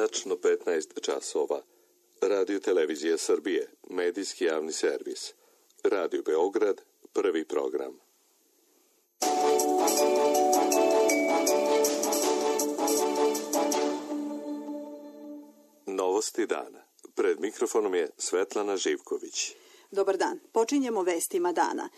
Tačno 15 časova. Radio Televizija Srbije, medijski javni servis. Radio Beograd, prvi program. Novosti dana. Pred mikrofonom je Svetlana Živković. Dobar dan. Počinjemo vestima dana.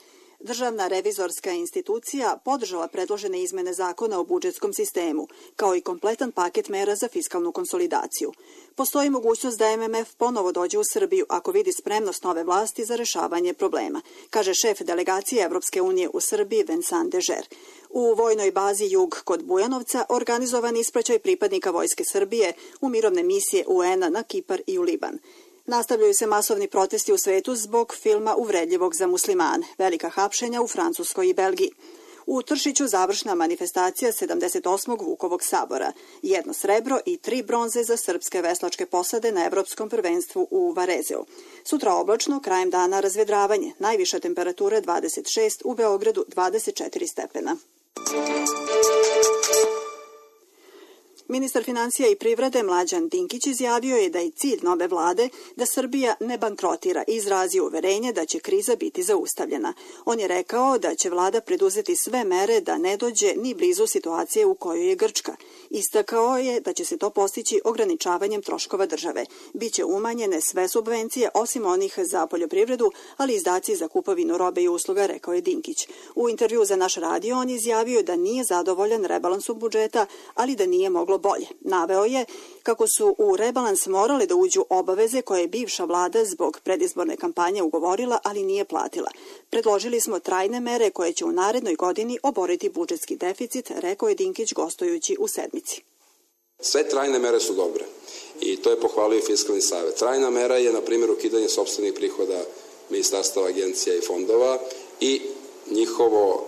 Državna revizorska institucija podržala predložene izmene zakona o budžetskom sistemu, kao i kompletan paket mera za fiskalnu konsolidaciju. Postoji mogućnost da MMF ponovo dođe u Srbiju ako vidi spremnost nove vlasti za rešavanje problema, kaže šef delegacije Evropske unije u Srbiji Vincent Dežer. U vojnoj bazi Jug kod Bujanovca organizovan ispraćaj pripadnika Vojske Srbije u mirovne misije UN-a na Kipar i u Liban. Nastavljaju se masovni protesti u svetu zbog filma uvredljivog za muslimane, velika hapšenja u Francuskoj i Belgiji. U Tršiću završna manifestacija 78. Vukovog sabora, 1 srebro i 3 bronze za srpske veslačke posade na Evropskom prvenstvu u Varezeu. Sutra oblačno, krajem dana razvedravanje, najviša temperatura 26, u Beogradu 24 stepena. Ministar finansija i privrede Mlađan Dinkić izjavio je da je cilj nove vlade da Srbija ne bankrotira i izrazio uverenje da će kriza biti zaustavljena. On je rekao da će vlada preduzeti sve mere da ne dođe ni blizu situacije u kojoj je Grčka. Istakao je da će se to postići ograničavanjem troškova države. Biće umanjene sve subvencije osim onih za poljoprivredu, ali izdaci za kupovinu robe i usluga, rekao je Dinkić. U intervju za naš radio on izjavio da nije zadovoljan rebalansom budžeta, ali da nije moglo bolje. Naveo je kako su u rebalans morale da uđu obaveze koje je bivša vlada zbog predizborne kampanje ugovorila, ali nije platila. Predložili smo trajne mere koje će u narednoj godini oboriti budžetski deficit, rekao je Dinkić gostujući u Sedmici. Sve trajne mere su dobre i to je pohvalio i Fiskalni savet. Trajna mera je, na primjer, ukidanje sopstvenih prihoda ministarstava, agencija i fondova i njihovo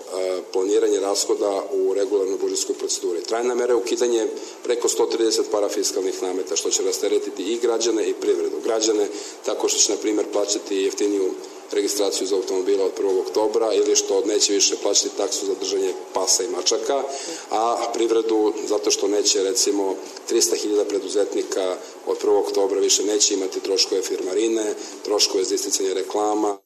planiranje rashoda u regularnoj budžetskoj proceduri. Trajna mera je ukidanje preko 130 parafiskalnih nameta, što će rasteretiti i građane i privredu. Građane tako što će, na primjer, plaćati jeftiniju registraciju za automobila od 1. oktobra ili što neće više plaćati taksu za držanje pasa i mačaka, a privredu zato što neće, recimo, 300.000 preduzetnika od 1. oktobra više neće imati troškove firmarine, troškove za isticanje reklama.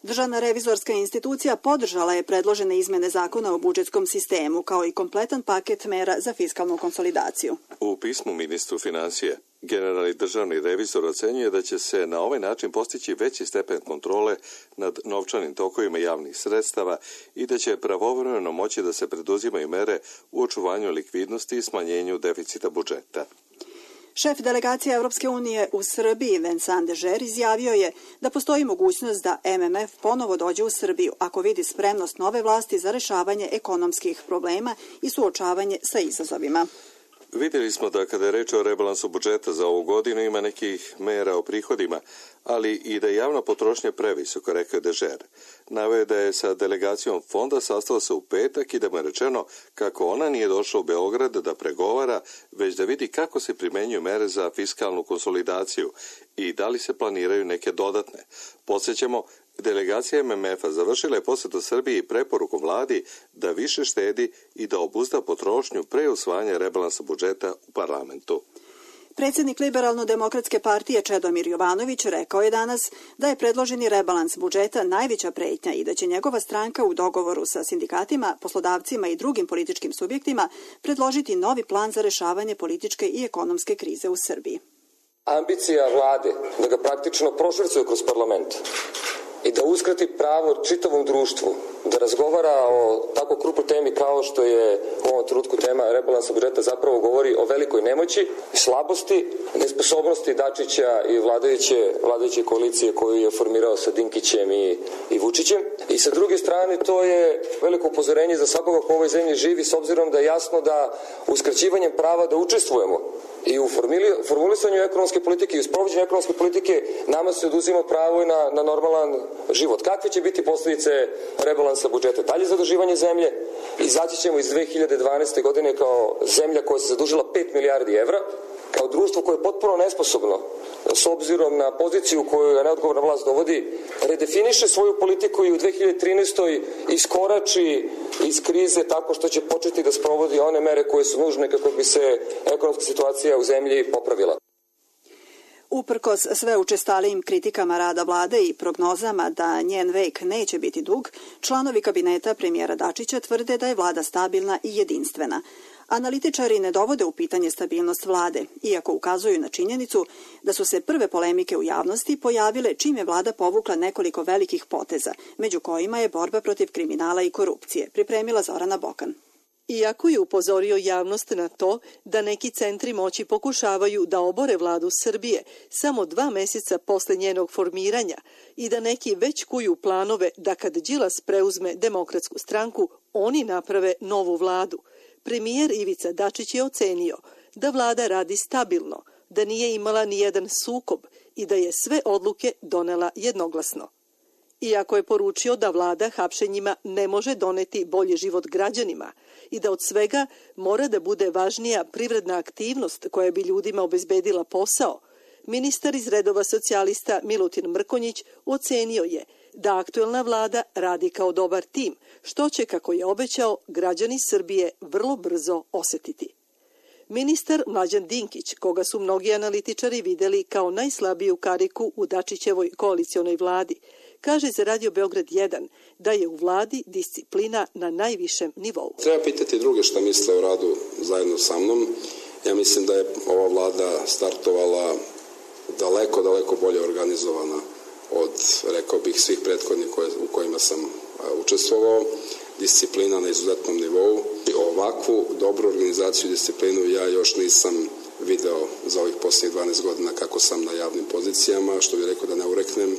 Državna revizorska institucija podržala je predložene izmene zakona o budžetskom sistemu, kao i kompletan paket mera za fiskalnu konsolidaciju. U pismu ministru finansije, generalni državni revizor ocenjuje da će se na ovaj način postići veći stepen kontrole nad novčanim tokovima javnih sredstava i da će pravovremeno moći da se preduzimaju mere u očuvanju likvidnosti i smanjenju deficita budžeta. Šef delegacije Evropske unije u Srbiji, Vincent Dežer, izjavio je da postoji mogućnost da MMF ponovo dođe u Srbiju ako vidi spremnost nove vlasti za rešavanje ekonomskih problema i suočavanje sa izazovima. Vidjeli smo da kada je reč o rebalansu budžeta za ovu godinu ima nekih mera o prihodima, ali i da je javna potrošnja previsoko, rekao je Dežer. Naveo je da je sa delegacijom fonda sastao se u petak i da mu je rečeno kako ona nije došla u Beograd da pregovara, već da vidi kako se primenjuju mere za fiskalnu konsolidaciju i da li se planiraju neke dodatne. Podsjećamo, delegacija MMF-a završila je posjetu Srbiji preporukom vladi da više štedi i da obuzda potrošnju pre usvajanja rebalansa budžeta u parlamentu. Predsjednik Liberalno-demokratske partije Čedomir Jovanović rekao je danas da je predloženi rebalans budžeta najveća pretnja i da će njegova stranka u dogovoru sa sindikatima, poslodavcima i drugim političkim subjektima predložiti novi plan za rešavanje političke i ekonomske krize u Srbiji. Ambicija vlade da ga praktično prošvercuje kroz parlament i da uskrati pravo čitavom društvu da razgovara o tako krupnoj temi kao što je u ovom trenutku tema rebalansa budžeta, zapravo govori o velikoj nemoći, slabosti, nesposobnosti Dačića i vladajuće koalicije koju je formirao sa Dinkićem i Vučićem. I sa druge strane, to je veliko upozorenje za svakoga ko u ovoj zemlji živi, s obzirom da je jasno da uskraćivanjem prava da učestvujemo i u formulisanju ekonomske politike i u sprovođenju ekonomske politike nama se oduzima pravo i na normalan život. Kakve će biti posljedice rebalansa budžeta? Dalje zaduživanje zemlje, izaći ćemo iz 2012. godine kao zemlja koja se zadužila 5 milijardi evra, kao društvo koje je potpuno nesposobno s obzirom na poziciju koju neodgovorna vlast dovodi, redefiniše svoju politiku i u 2013. iskorači iz krize tako što će početi da sprovodi one mere koje su nužne kako bi se ekonomska situacija u zemlji popravila. Uprkos sve učestalijim kritikama rada vlade i prognozama da njen vek neće biti dug, članovi kabineta premijera Dačića tvrde da je vlada stabilna i jedinstvena. Analitičari ne dovode u pitanje stabilnost vlade, iako ukazuju na činjenicu da su se prve polemike u javnosti pojavile čim je vlada povukla nekoliko velikih poteza, među kojima je borba protiv kriminala i korupcije, pripremila Zorana Bokan. Iako je upozorio javnost na to da neki centri moći pokušavaju da obore vladu Srbije samo 2 meseca posle njenog formiranja i da neki već kuju planove da kad Đilas preuzme Demokratsku stranku, oni naprave novu vladu, premijer Ivica Dačić je ocenio da vlada radi stabilno, da nije imala ni jedan sukob i da je sve odluke donela jednoglasno. Iako je poručio da vlada hapšenjima ne može doneti bolji život građanima i da od svega mora da bude važnija privredna aktivnost koja bi ljudima obezbedila posao, ministar iz redova socijalista Milutin Mrkonjić ocenio je da aktuelna vlada radi kao dobar tim, što će, kako je obećao, građani Srbije vrlo brzo osetiti. Ministar Mlađan Dinkić, koga su mnogi analitičari videli kao najslabiju kariku u Dačićevoj koalicionoj vladi, kaže za Radio Beograd 1 da je u vladi disciplina na najvišem nivou. Treba pitati druge šta misle o radu zajedno sa mnom. Ja mislim da je ova vlada startovala daleko bolje organizovana od, rekao bih, svih prethodnih u kojima sam učestvovao. Disciplina na izuzetnom nivou. Ovakvu dobru organizaciju i disciplinu ja još nisam video za ovih posljednjih 12 godina kako sam na javnim pozicijama, što bih rekao da ne ureknem.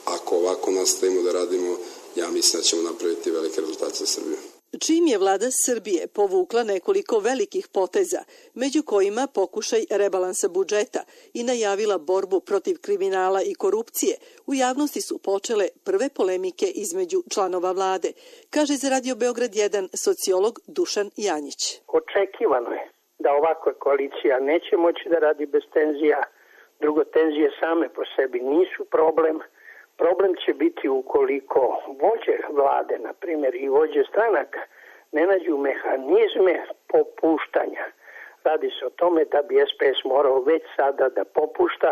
Ako ovako nastavimo da radimo, ja mislim da ćemo napraviti velike rezultate za Srbiju. Čim je vlada Srbije povukla nekoliko velikih poteza, među kojima pokušaj rebalansa budžeta i najavila borbu protiv kriminala i korupcije, u javnosti su počele prve polemike između članova vlade, kaže za Radio Beograd 1 sociolog Dušan Janjić. Očekivano je da ovakva koalicija neće moći da radi bez tenzija. Drugo, tenzije same po sebi nisu problem. Problem će biti ukoliko vođe vlade, na primjer, i vođe stranaka ne nađu mehanizme popuštanja. Radi se o tome da bi SPS morao već sada da popušta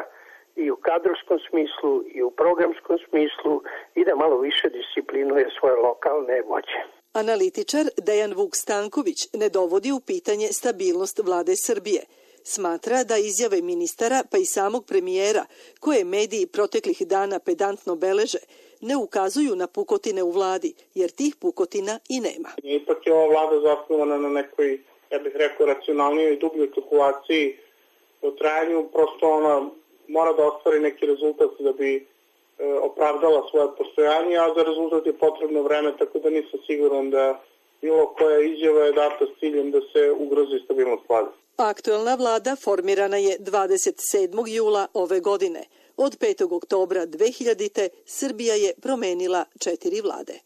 i u kadrovskom smislu i u programskom smislu i da malo više disciplinuje svoje lokalne vođe. Analitičar Dejan Vuk Stanković ne dovodi u pitanje stabilnost vlade Srbije. Smatra da izjave ministara pa i samog premijera, koje mediji proteklih dana pedantno beleže, ne ukazuju na pukotine u vladi, jer tih pukotina i nema. Ipak je ova vlada zasnovana na nekoj, ja bih rekao, racionalnijoj i dubljoj kalkulaciji o trajanju. Prosto ona mora da ostvari neki rezultat da bi opravdala svoje postojanje, a za rezultat je potrebno vreme, tako da nisam siguran da bilo koja izjava je data s ciljem da se ugrozi stabilnost vlade. Aktuelna vlada formirana je 27. jula ove godine. Od 5. oktobra 2000. Srbija je promenila 4 vlade.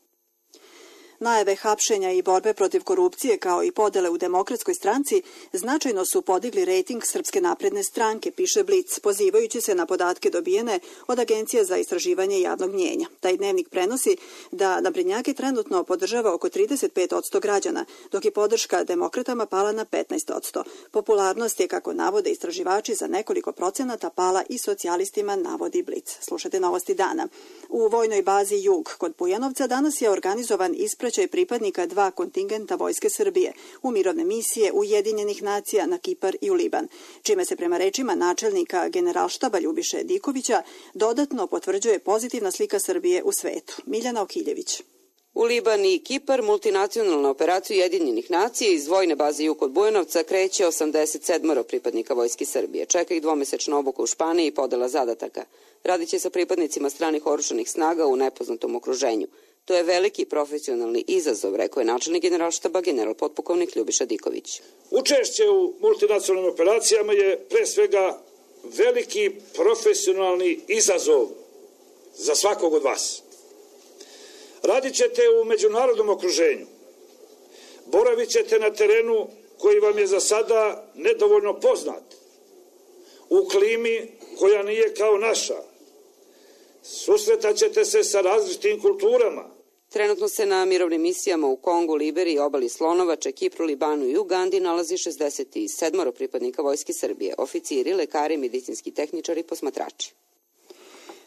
Najave hapšenja i borbe protiv korupcije kao i podele u Demokratskoj stranci značajno su podigli rejting Srpske napredne stranke, piše Blic, pozivajući se na podatke dobijene od Agencije za istraživanje javnog mnjenja. Taj dnevnik prenosi da naprednjake trenutno podržava oko 35% građana, dok je podrška demokratama pala na 15%. Popularnost je, kako navode istraživači, za nekoliko procenata pala i socijalistima, navodi Blic. Slušajte novosti dana. U vojnoj bazi Jug kod Bujanovca danas je organizovan ispraćaj pripadnika 2 kontingenta Vojske Srbije u mirovne misije Ujedinjenih nacija na Kipar i u Liban, čime se prema rečima načelnika Generalštaba Ljubiše Dikovića dodatno potvrđuje pozitivna slika Srbije u svetu. Miljana Okiljević. U Liban i Kipar multinacionalna operacija Ujedinjenih nacija iz vojne baze Jug kod Bujanovca kreće 87 pripadnika Vojske Srbije. Čeka ih 2-mesečna obuka u Španiji i podela zadataka. Radit će sa pripadnicima stranih oružanih snaga u nepoznatom okruženju. To je veliki profesionalni izazov, rekao je načelnik Generalštaba general potpukovnik Ljubiša Diković. Učešće u multinacionalnim operacijama je pre svega veliki profesionalni izazov za svakog od vas. Radit ćete u međunarodnom okruženju. Boravit ćete na terenu koji vam je za sada nedovoljno poznat. u klimi koja nije kao naša. Susretaćete se sa različitim kulturama. Trenutno se na mirovnim misijama u Kongu, Liberiji, Obali Slonovače, Kipru, Libanu i Ugandi nalazi 67 pripadnika Vojske Srbije, oficiri, lekari, medicinski tehničari i posmatrači.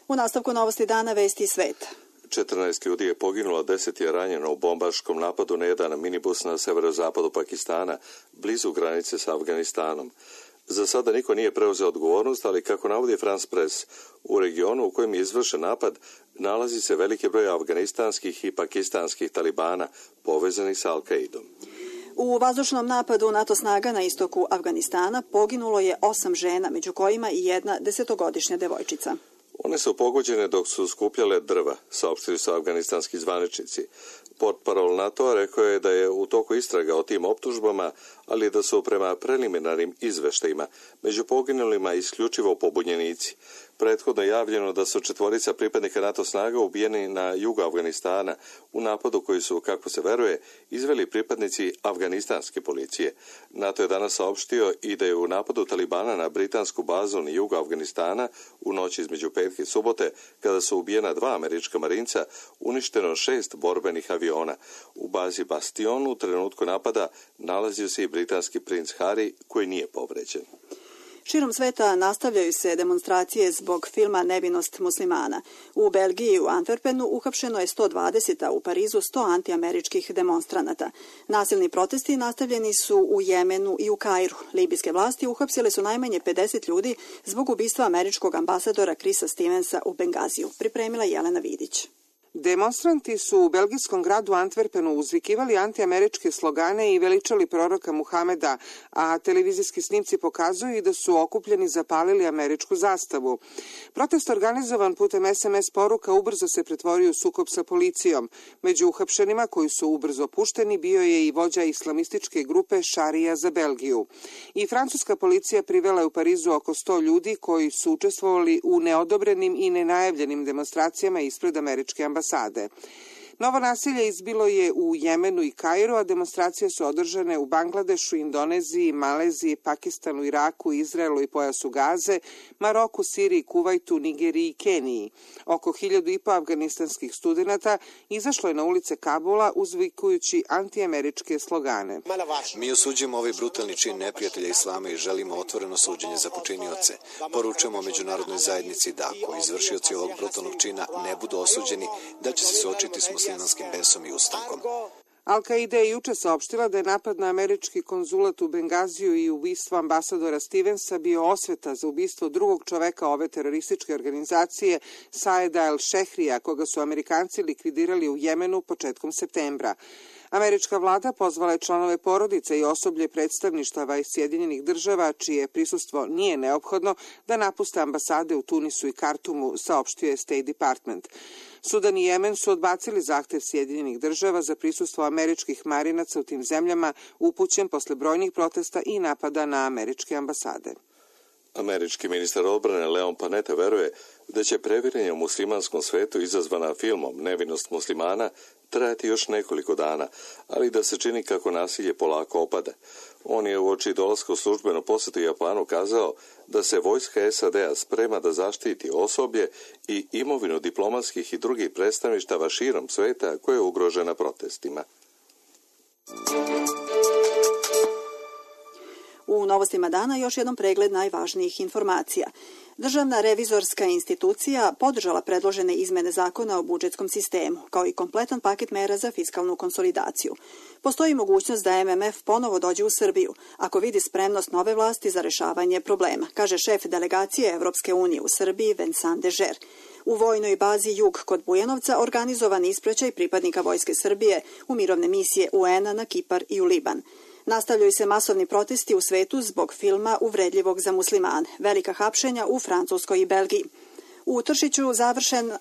U nastavku novosti dana vesti sveta. 14 ljudi je poginulo, 10 je ranjeno u bombaškom napadu na jedan minibus na severozapadu Pakistana, blizu granice sa Afganistanom. Za sada niko nije preuzeo odgovornost, ali kako navodi France Press, u regionu u kojem je izvršen napad nalazi se veliki broj afganistanskih i pakistanskih talibana povezanih sa Al-Qaidom. U vazdušnom napadu NATO snaga na istoku Afganistana poginulo je 8 žena, među kojima i jedna 10-godišnja devojčica. One su pogođene dok su skupljale drva, saopštili su afganistanski zvaničnici. Portparol NATO rekao je da je u toku istraga o tim optužbama, ali da su prema preliminarnim izveštajima među poginulima isključivo pobunjenici. Prethodno je javljeno da su 4 pripadnika NATO snaga ubijeni na jugu Afganistana u napadu koji su, kako se veruje, izveli pripadnici afganistanske policije. NATO je danas saopštio i da je u napadu Talibana na britansku bazu na jugu Afganistana u noći između petke i subote, kada su ubijena 2 američka marinca, uništeno 6 borbenih aviona. U bazi Bastion u trenutku napada nalazio se i britanski princ Harry, koji nije povređen. Širom sveta nastavljaju se demonstracije zbog filma Nevinost muslimana. U Belgiji u Antwerpenu uhapšeno je 120, a u Parizu 100 antiameričkih demonstranata. Nasilni protesti nastavljeni su u Jemenu i u Kairu. Libijske vlasti uhapsile su najmanje 50 ljudi zbog ubistva američkog ambasadora Chrisa Stevensa u Bengaziju. Pripremila Jelena Vidić. Demonstranti su u belgijskom gradu Antwerpenu uzvikivali antiameričke slogane i veličali proroka Muhameda, a televizijski snimci pokazuju i da su okupljeni zapalili američku zastavu. Protest organizovan putem SMS poruka ubrzo se pretvorio u sukob sa policijom. Među uhapšenima koji su ubrzo pušteni bio je i vođa islamističke grupe Šarija za Belgiju. I francuska policija privela je u Parizu oko 100 ljudi koji su učestvovali u neodobrenim i nenajavljenim demonstracijama ispred američke ambasade. Novo nasilje izbilo je u Jemenu i Kairu, a demonstracije su održane u Bangladešu, Indoneziji, Maleziji, Pakistanu, Iraku, Izraelu i pojasu Gaze, Maroku, Siriji, Kuvajtu, Nigeriji i Keniji. Oko 1500 afganistanskih studenata izašlo je na ulice Kabula uzvikujući antiameričke slogane. Mi osuđujemo ovaj brutalni čin neprijatelja islama i želimo otvoreno suđenje za počinioce. Poručujemo međunarodnoj zajednici da ako izvršioci ovog brutalnog čina ne budu osuđeni, da će se suočiti s muslimanskim besom i ustankom. Al-Qaida je juče saopštila da je napad na američki konzulat u Bengaziju i ubistvo ambasadora Stevensa bio osveta za ubistvo drugog čoveka ove terorističke organizacije, Saeda el-Šehrija, koga su Amerikanci likvidirali u Jemenu početkom septembra. Američka vlada pozvala je članove porodice i osoblje predstavništava iz Sjedinjenih država, čije prisustvo nije neophodno, da napuste ambasade u Tunisu i Kartumu, saopštio je State Department. Sudan i Jemen su odbacili zahtev Sjedinjenih država za prisustvo američkih marinaca u tim zemljama, upućen posle brojnih protesta i napada na američke ambasade. Američki ministar odbrane Leon Panetta veruje da će previranje u muslimanskom svetu izazvana filmom Nevinost muslimana trajati još nekoliko dana, ali da se čini kako nasilje polako opada. On je uoči dolaska u službenu posetu Japanu kazao da se vojska SAD-a sprema da zaštiti osoblje i imovinu diplomatskih i drugih predstavništava širom sveta koje je ugrožena protestima. U novostima dana još jednom pregled najvažnijih informacija. Državna revizorska institucija podržala predložene izmene zakona o budžetskom sistemu, kao i kompletan paket mera za fiskalnu konsolidaciju. Postoji mogućnost da MMF ponovo dođe u Srbiju, ako vidi spremnost nove vlasti za rešavanje problema, kaže šef delegacije Evropske unije u Srbiji Vincent Dežer. U vojnoj bazi Jug kod Bujanovca organizovan ispraćaj pripadnika Vojske Srbije u mirovne misije UN-a na Kipar i u Liban. Nastavljaju se masovni protesti u svetu zbog filma uvredljivog za muslimane, velika hapšenja u Francuskoj i Belgiji. U Tršiću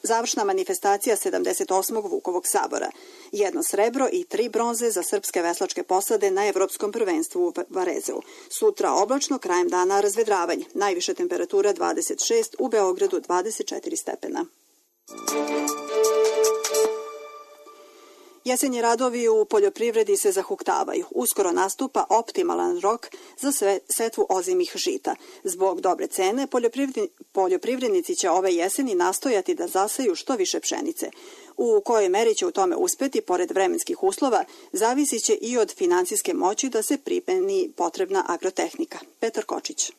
završna manifestacija 78. Vukovog sabora. 1 srebro i 3 bronze za srpske veslačke posade na Evropskom prvenstvu u Varezeu. Sutra oblačno, krajem dana razvedravanje. Najviša temperatura 26, u Beogradu 24 stepena. Jesenji radovi u poljoprivredi se zahuktavaju. Uskoro nastupa optimalan rok za setvu ozimih žita. Zbog dobre cene, poljoprivrednici će ove jeseni nastojati da zaseju što više pšenice. U kojoj meri će u tome uspeti, pored vremenskih uslova, zavisit će i od financijske moći da se primeni potrebna agrotehnika. Petar Kočić.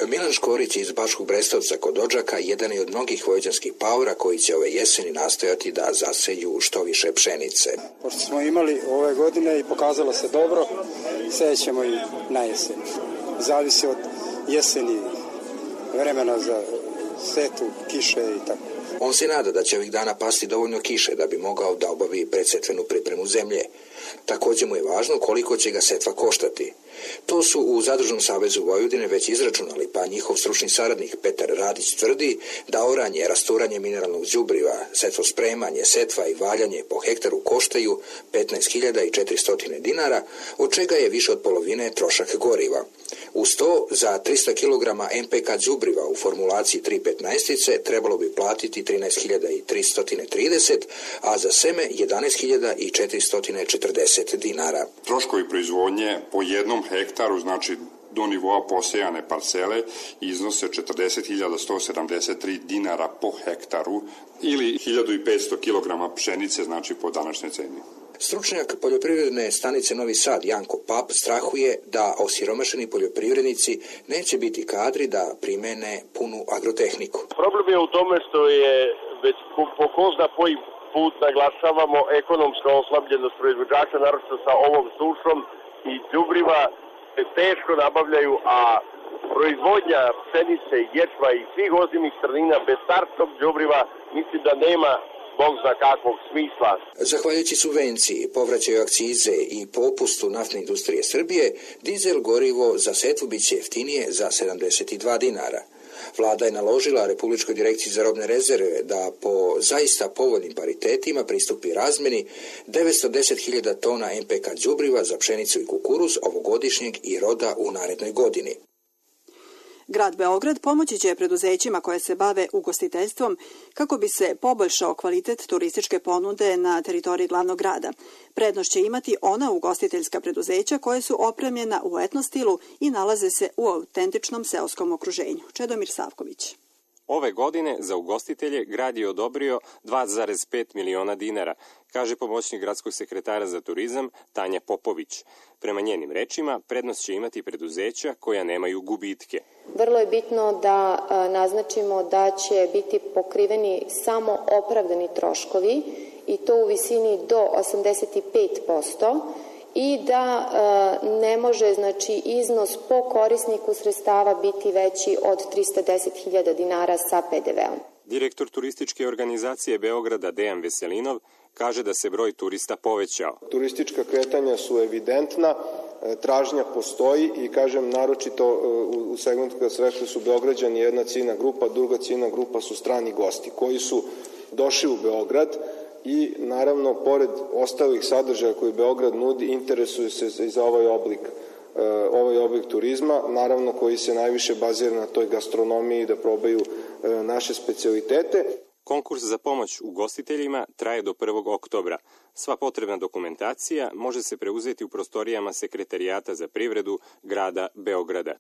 Milan Škorić iz Bačkog Brestovca kod Odžaka jedan je od mnogih vojvođanskih paora koji će ove jeseni nastojati da zaseju što više pšenice. Pošto smo imali ove godine i pokazalo se dobro, sećemo i na jesen. Zavisi od jeseni, vremena za setu, kiše i tako. On se nada da će ovih dana pasti dovoljno kiše da bi mogao da obavi predsetvenu pripremu zemlje. Također mu je važno koliko će ga setva koštati. To su u Zadružnom savezu Vojvodine već izračunali, pa njihov stručni saradnik Petar Radić tvrdi da oranje, rasturanje mineralnog đubriva, setvospremanje, setva i valjanje po hektaru koštaju 15.400 dinara, od čega je više od polovine trošak goriva. Uz to, za 300 kg MPK đubriva u formulaciji 3,15 trebalo bi platiti 13.330, a za seme 11.440 dinara. Troškovi proizvodnje po jednom hektaru, znači do nivoa posejane parcele, iznose 40.173 dinara po hektaru ili 1.500 kg pšenice, znači po današnjoj ceni. Stručnjak poljoprivredne stanice Novi Sad Janko Pap strahuje da osiromašeni poljoprivrednici neće biti kadri da primene punu agrotehniku. Problem je u tome što je već po ko zna koji put naglašavamo ekonomska oslabljenost proizvođača, naročito sa ovom sušom, i đubriva se teško nabavljaju, a proizvodnja pšenice, ječma i svih ozimih strnina bez startnog đubriva mislim da nema Bog zna kakvog smisla. Zahvaljujući subvenciji, povraćaju akcize i popustu naftne industrije Srbije, dizel gorivo za setvu biće jeftinije za 72 dinara. Vlada je naložila Republičkoj direkciji za robne rezerve da po zaista povoljnim paritetima pristupi razmeni 910.000 tona MPK đubriva za pšenicu i kukuruz ovogodišnjeg i roda u narednoj godini. Grad Beograd pomoći će preduzećima koje se bave ugostiteljstvom kako bi se poboljšao kvalitet turističke ponude na teritoriji glavnog grada. Prednost će imati ona ugostiteljska preduzeća koje su opremljena u etno stilu i nalaze se u autentičnom seoskom okruženju. Čedomir Savković. Ove godine za ugostitelje grad je odobrio 2,5 miliona dinara, kaže pomoćnik gradskog sekretara za turizam Tanja Popović. Prema njenim rečima, prednost će imati preduzeća koja nemaju gubitke. Vrlo je bitno da naznačimo da će biti pokriveni samo opravdani troškovi i to u visini do 85% i da ne može iznos po korisniku sredstava biti veći od 310.000 dinara sa PDV-om. Direktor turističke organizacije Beograda Dejan Veselinov kaže da se broj turista povećao. Turistička kretanja su evidentna, tražnja postoji i kažem naročito u segmentu kada se rekli su Beograđani jedna ciljna grupa, druga ciljna grupa su strani gosti koji su došli u Beograd i naravno pored ostalih sadržaja koje Beograd nudi interesuju se i za ovaj oblik turizma, naravno koji se najviše bazira na toj gastronomiji da probaju naše specijalitete. Konkurs za pomoć ugostiteljima traje do 1. oktobra. Sva potrebna dokumentacija može se preuzeti u prostorijama Sekretarijata za privredu grada Beograda.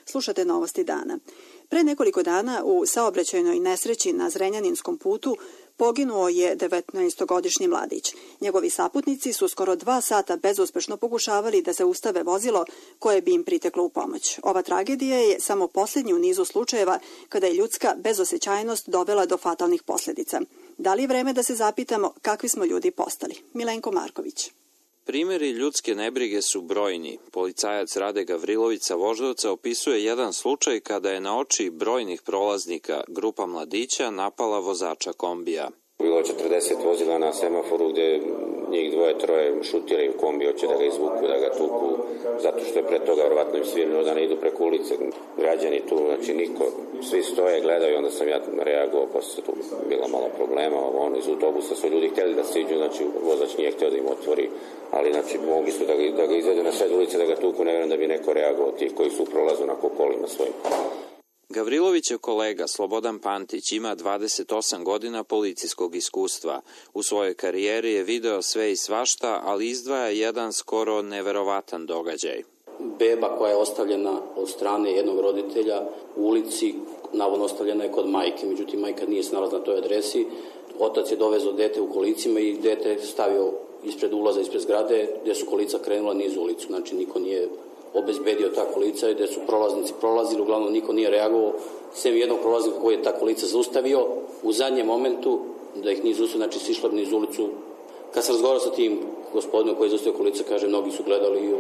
Slušate novosti dana. Pre nekoliko dana u saobraćajnoj nesreći na Zrenjaninskom putu poginuo je 19-godišnji mladić. Njegovi saputnici su skoro 2 sata bezuspešno pokušavali da zaustave vozilo koje bi im priteklo u pomoć. Ova tragedija je samo posljednji u nizu slučajeva kada je ljudska bezosećajnost dovela do fatalnih posljedica. Da li je vreme da se zapitamo kakvi smo ljudi postali? Milenko Marković. Primjeri ljudske nebrige su brojni. Policajac Rade Gavrilović sa Voždovca opisuje jedan slučaj kada je na oči brojnih prolaznika grupa mladića napala vozača kombija. Bilo 40 vozila na semaforu gdje njih 2-3 šutiraju kombi, hoće da ga izvuku, da ga tuku, zato što je pre toga vjerovatno im svirno da ne idu preko ulice. Građani tu, znači niko, svi stoje, gledaju, onda sam ja reagovao, posle tu bila malo problema, iz autobusa su ljudi htjeli da siđu, znači vozač nije htio da im otvori, ali znači mogli su da ga izvedu na sred ulice, da ga tuku, ne vjerujem da bi neko reagovao tih koji su u prolazu na kolima svojim. Gavrilovićev kolega Slobodan Pantić ima 28 godina policijskog iskustva. U svojoj karijeri je video sve i svašta, ali izdvaja jedan skoro neverovatan događaj. Beba koja je ostavljena od strane jednog roditelja u ulici, navodno ostavljena je kod majke, međutim majka nije se nalazila na toj adresi. Otac je dovezao dete u kolicima i dete je stavio ispred ulaza, ispred zgrade, gde su kolica krenula niz ulicu. Znači niko nije obezbedio ta kolica i gde su prolaznici prolazili, uglavnom niko nije reagovao, sem jednog prolaznika koji je ta kolica zaustavio u zadnjem momentu, da ih nije zaustavio, znači sišla niz ulicu. Kad sam razgovarao sa tim gospodinom koji je zaustavio kolica, kaže, mnogi su gledali i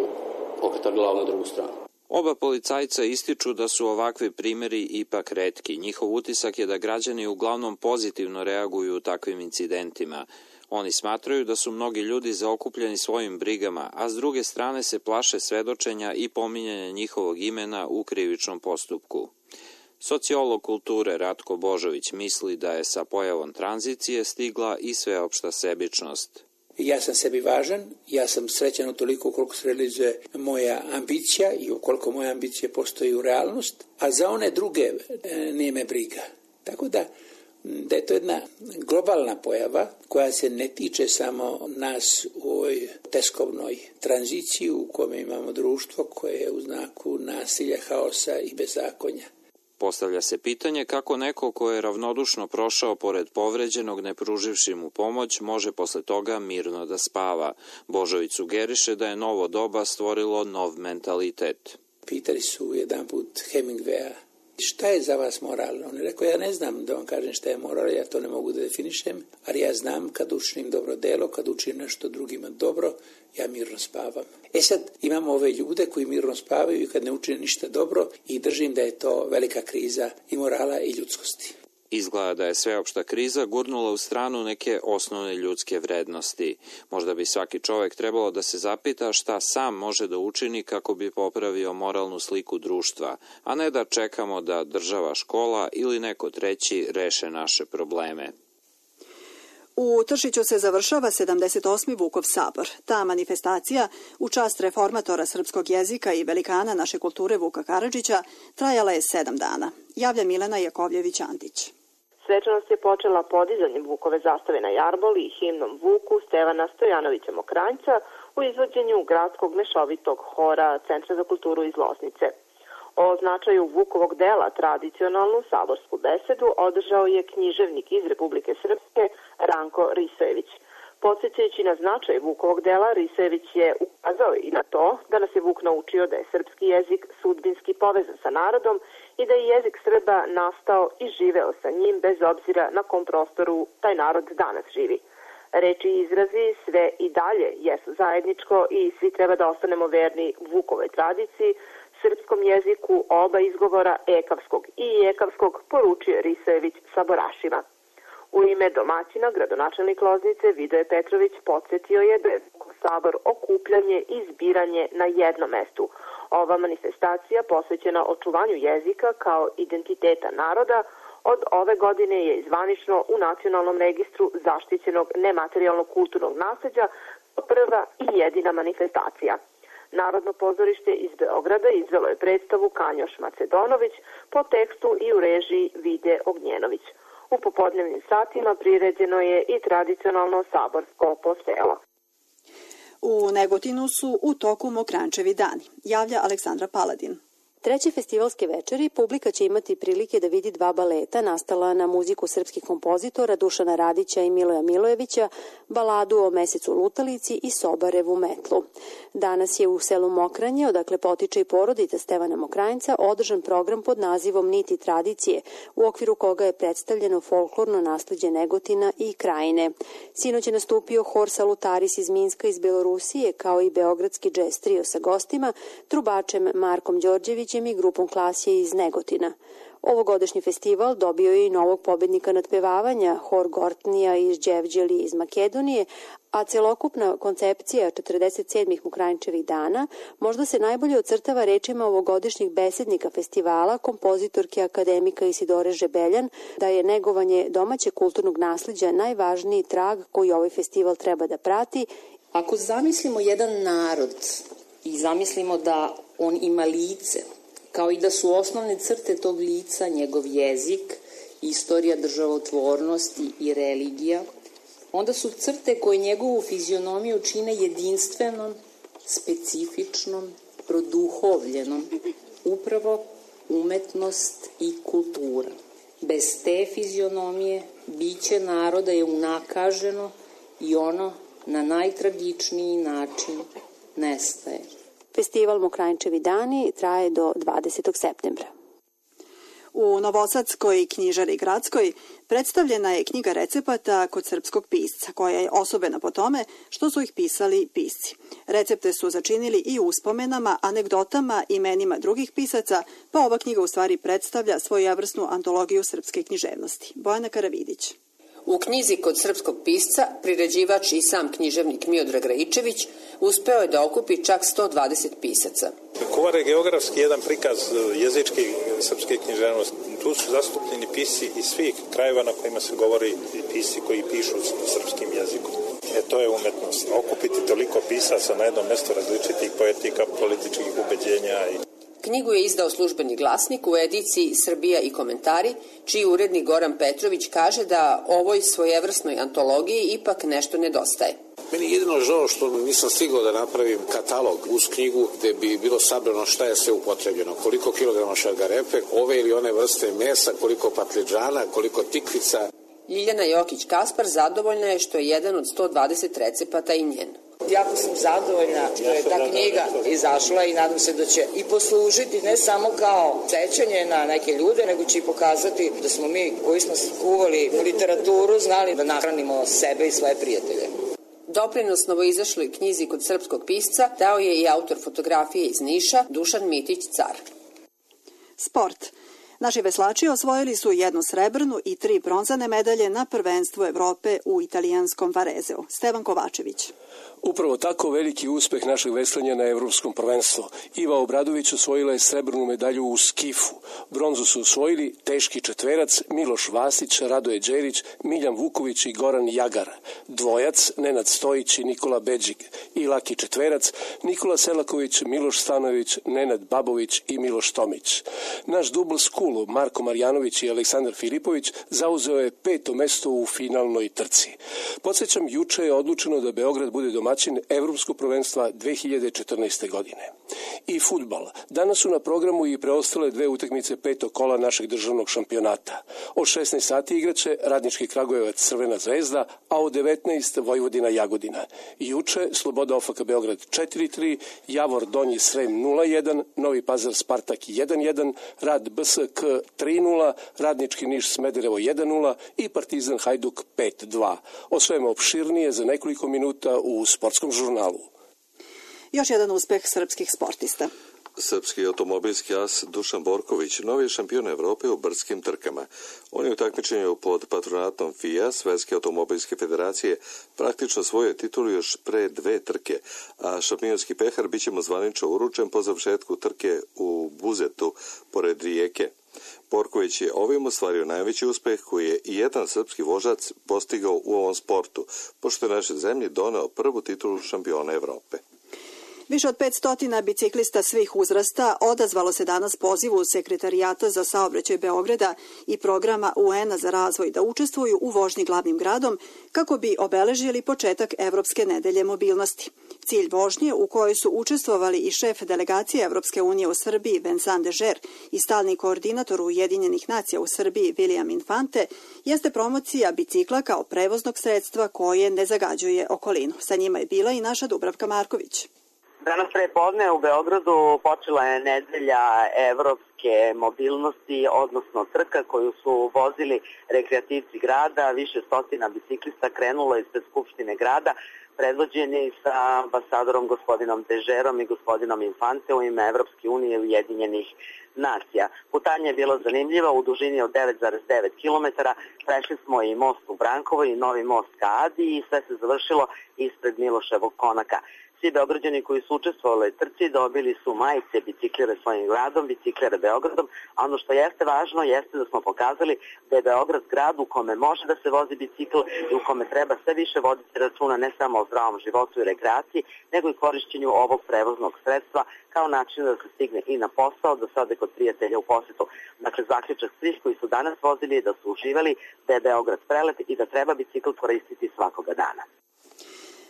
okretali glavu na drugu stranu. Oba policajca ističu da su ovakvi primeri ipak retki. Njihov utisak je da građani uglavnom pozitivno reaguju u takvim incidentima. Oni smatraju da su mnogi ljudi zaokupljeni svojim brigama, a s druge strane se plaše svedočenja i pominjanja njihovog imena u krivičnom postupku. Sociolog kulture Ratko Božović misli da je sa pojavom tranzicije stigla i sveopšta sebičnost. Ja sam sebi važan, ja sam srećan utoliko koliko se realizuje moja ambicija i ukoliko moja ambicija postoji u realnost, a za one druge nije briga. Tako da je to jedna globalna pojava koja se ne tiče samo nas u ovoj teskovnoj tranziciji u kome imamo društvo koje je u znaku nasilja, haosa i bezakonja. Postavlja se pitanje kako neko ko je ravnodušno prošao pored povređenog ne pruživši mu pomoć može posle toga mirno da spava. Božović sugeriše da je novo doba stvorilo nov mentalitet. Pitali su jedan put Hemingwaya, šta je za vas moralno? On je rekao, ja ne znam da vam kažem šta je moral, ja to ne mogu da definišem, ali ja znam kad učinim dobro delo, kad učinim nešto drugima dobro, ja mirno spavam. Sad imamo ove ljude koji mirno spavaju i kad ne učine ništa dobro i držim da je to velika kriza i morala i ljudskosti. Izgleda da je sveopšta kriza gurnula u stranu neke osnovne ljudske vrednosti. Možda bi svaki čovek trebalo da se zapita šta sam može da učini kako bi popravio moralnu sliku društva, a ne da čekamo da država, škola ili neko treći reše naše probleme. U Tršiću se završava 78. Vukov sabor. Ta manifestacija, u čast reformatora srpskog jezika i velikana naše kulture Vuka Karadžića, trajala je 7 dana. Javlja Milena Jakovljević-Antić. Svečanost je počela podizanjem Vukove zastave na Jarboli i himnom Vuku Stevana Stojanovića Mokranjca u izvođenju gradskog mešovitog hora Centra za kulturu iz Loznice. O značaju Vukovog dela tradicionalnu saborsku besedu održao je književnik iz Republike Srpske Ranko Risojević. Podsjećajući na značaj Vukovog dela, Risojević je ukazao i na to da nas je Vuk naučio da je srpski jezik sudbinski povezan sa narodom i da je jezik Srba nastao i živeo sa njim bez obzira na kom prostoru taj narod danas živi. Reči i izrazi sve i dalje jesu zajedničko i svi treba da ostanemo verni Vukovoj tradiciji, srpskom jeziku oba izgovora ekavskog i ekavskog, poručio Risojević saborašima. U ime domaćina, gradonačelnik Loznice Vidoje Petrović podsjetio je da je Vukov sabor okupljanje i zbiranje na jednom mestu. Ova manifestacija posvećena očuvanju jezika kao identiteta naroda od ove godine je zvanično u Nacionalnom registru zaštićenog nematerijalnog kulturnog nasleđa prva i jedina manifestacija. Narodno pozorište iz Beograda izvelo je predstavu Kanjoš Macedonović po tekstu i u režiji Vide Ognjenović. U popodnevnim satima priređeno je i tradicionalno saborsko poselo. U Negotinu su u toku Mokrančevi dani, javlja Aleksandra Paladin. Treće festivalske večeri publika će imati prilike da vidi 2 baleta nastala na muziku srpskih kompozitora Dušana Radića i Miloja Milojevića, baladu o Mesecu lutalici i Sobarevu metlu. Danas je u selu Mokranje, odakle potiče i porodica Stevana Mokranjca, održan program pod nazivom Niti tradicije, u okviru koga je predstavljeno folklorno nasleđe Negotina i Krajine. Sinoć je nastupio hor Salutaris iz Minska iz Belorusije, kao i beogradski džez trio sa gostima, trubačem Markom Đorđevićem i grupom Klasije iz Negotina. Ovogodišnji festival dobio je i novog pobednika nadpevavanja, hor Gortnija iz Đevđeli iz Makedonije, a celokupna koncepcija 47. Mokranjčevih dana možda se najbolje ocrtava rečima ovogodišnjih besednika festivala, kompozitorke akademika Isidore Žebeljan, da je negovanje domaćeg kulturnog nasleđa najvažniji trag koji ovaj festival treba da prati. Ako zamislimo jedan narod i zamislimo da on ima lice kao i da su osnovne crte tog lica njegov jezik, istorija državotvornosti i religija, onda su crte koje njegovu fizionomiju čine jedinstvenom, specifičnom, produhovljenom, upravo umetnost i kultura. Bez te fizionomije biće naroda je unakaženo i ono na najtragičniji način nestaje. Festival Mokranjčevi dani traje do 20. septembra. U Novosadskoj knjižari gradskoj predstavljena je knjiga recepata kod srpskog pisca, koja je osobena po tome što su ih pisali pisci. Recepte su začinili i uspomenama, anegdotama, imenima drugih pisaca, pa ova knjiga u stvari predstavlja svojevrsnu antologiju srpske književnosti. Bojana Karavidić. U knjizi kod srpskog pisca, priređivač i sam književnik Miodrag Raičević uspeo je da okupi čak 120 pisaca. Kovar je geografski jedan prikaz jezičke srpske književnosti. Tu su zastupljeni pisci iz svih krajeva na kojima se govori i pisci koji pišu srpskim jezikom. To je umetnost. Okupiti toliko pisaca na jednom mestu različitih poetika, političkih ubeđenja. Knjigu je izdao Službeni glasnik u ediciji Srbija i komentari, čiji urednik Goran Petrović kaže da ovoj svojevrsnoj antologiji ipak nešto nedostaje. Meni je jedino žao što nisam stigao da napravim katalog uz knjigu gde bi bilo sabrano šta je sve upotrebljeno, koliko kilograma šargarepe, ove ili one vrste mesa, koliko patliđana, koliko tikvica. Ljiljana Jokić-Kaspar zadovoljna je što je jedan od 120 recepata i njen. Jako sam zadovoljna što je ta knjiga izašla i nadam se da će i poslužiti ne samo kao sećanje na neke ljude, nego će i pokazati da smo mi koji smo skuvali literaturu znali da nahranimo sebe i svoje prijatelje. Doprinos novoizašloj knjizi kod srpskog pisca dao je i autor fotografije iz Niša Dušan Mitić-Car. Sport. Naši veslači osvojili su 1 srebrnu i 3 bronzane medalje na prvenstvu Evrope u italijanskom Varezeu. Stevan Kovačević. Upravo tako veliki uspeh našeg veslanja na evropskom prvenstvu. Iva Obradović osvojila je srebrnu medalju u skifu. Bronzu su osvojili teški četverac Miloš Vasić, Radoje Đerić, Miljan Vuković i Goran Jagar. Dvojac Nenad Stojić i Nikola Beđik. I laki četverac Nikola Selaković, Miloš Stanović, Nenad Babović i Miloš Tomić. Naš dubl skulu Marko Marjanović i Aleksandar Filipović zauzeo je 5. mesto u finalnoj trci. Podsjećam, juče je odlučeno da Beograd bude domaćin Evropskog prvenstva 2014. godine. I fudbal. Danas su na programu i preostale 2 utakmice 5. kola našeg državnog šampionata. Od 16 sati igraće Radnički Kragujevac Crvena zvezda, a od 19 Vojvodina Jagodina. Juče Sloboda OFK Beograd 4-3, Javor Donji Srem 0-1, Novi Pazar Spartak 1-1, Rad BSK 3-0, Radnički Niš Smederevo 1-0 i Partizan Hajduk 5-2. O svemu opširnije za nekoliko minuta u Sportskom žurnalu. Još jedan uspeh srpskih sportista. Srpski automobilski as Dušan Borković novi je šampion Evrope u brdskim trkama. On je u takmičenju pod patronatom FIA, Svetske automobilske federacije, praktično osvojio titulu još pre 2 trke, a šampionski pehar biće mu zvanično uručen po završetku trke u Buzetu, pored Rijeke. Borković je ovim ostvario najveći uspeh koji je i jedan srpski vožac postigao u ovom sportu, pošto je našoj zemlji doneo prvu titulu šampiona Evrope. Više od 500 biciklista svih uzrasta odazvalo se danas pozivu Sekretarijata za saobraćaj Beograda i programa UN-a za razvoj da učestvuju u vožnji glavnim gradom kako bi obeležili početak Evropske nedelje mobilnosti. Cilj vožnje, u kojoj su učestvovali i šef delegacije Evropske unije u Srbiji Vincent Dežer i stalni koordinator Ujedinjenih nacija u Srbiji William Infante, jeste promocija bicikla kao prevoznog sredstva koje ne zagađuje okolinu. Sa njima je bila i naša Dubravka Marković. Danas prepodne u Beogradu počela je nedelja evropske mobilnosti, odnosno trka koju su vozili rekreativci grada. Više stotina biciklista krenulo ispred Skupštine grada, predvođeni sa ambasadorom gospodinom Dežerom i gospodinom Infante u ime Evropske unije i Ujedinjenih nacija. Putanja je bila zanimljiva u dužini od 9,9 km. Prešli smo i most u Brankovo i novi most ka Adi i sve se završilo ispred Miloševog konaka. Svi Beograđani koji su učestvovali u trci dobili su majice biciklere svojim gradom, biciklere Beogradom, a ono što jeste važno jeste da smo pokazali da je Beograd grad u kome može da se vozi bicikl i u kome treba sve više voditi računa ne samo o zdravom životu i rekreaciji, nego i korišćenju ovog prevoznog sredstva kao način da se stigne i na posao, da se ode kod prijatelja u posetu. Dakle, zaključak svih koji su danas vozili je da su uživali, da je Beograd prelep i da treba bicikl koristiti svakoga dana.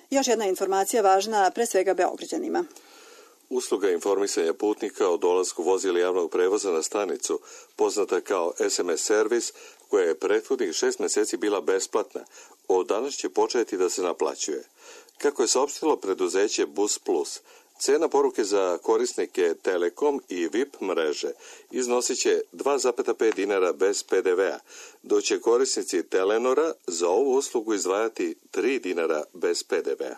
Još jedna informacija važna pre svega Beograđanima. Usluga informisanja putnika o dolasku vozila javnog prevoza na stanicu, poznata kao SMS servis, koja je prethodnih 6 meseci bila besplatna, od danas će početi da se naplaćuje. Kako je saopštilo preduzeće Bus Plus, cena poruke za korisnike Telekom i VIP mreže iznosit će 2,5 dinara bez PDV-a, dok će korisnici Telenora za ovu uslugu izdvajati 3 dinara bez PDV-a.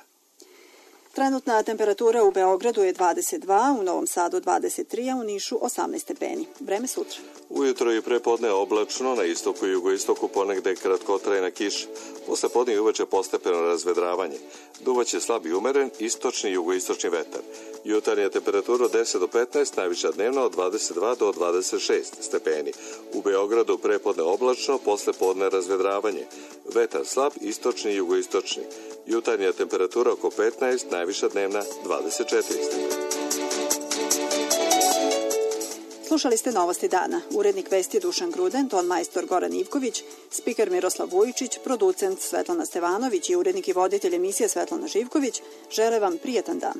Trenutna temperatura u Beogradu je 22, u Novom Sadu 23, a u Nišu 18 stepeni. Vreme sutra. Ujutro i prepodne oblačno, na istoku i jugoistoku ponegde kratkotrajna kiša. Posle podne i uveče postepeno razvedravanje. Duvaće slab i umeren istočni i jugoistočni vetar. Jutarnja temperatura od 10 do 15, najviša dnevna od 22 do 26 stepeni. U Beogradu prepodne oblačno, posle podne razvedravanje. Vetar slab, istočni i jugoistočni. Jutarnja temperatura oko 15, najviša dnevna 24 stepeni. Slušali ste Novosti dana. Urednik vesti Dušan Gruden, ton majstor Goran Ivković, spiker Miroslav Vujičić, producent Svetlana Stevanović i urednik i voditelj emisije Svetlana Živković žele vam prijetan dan.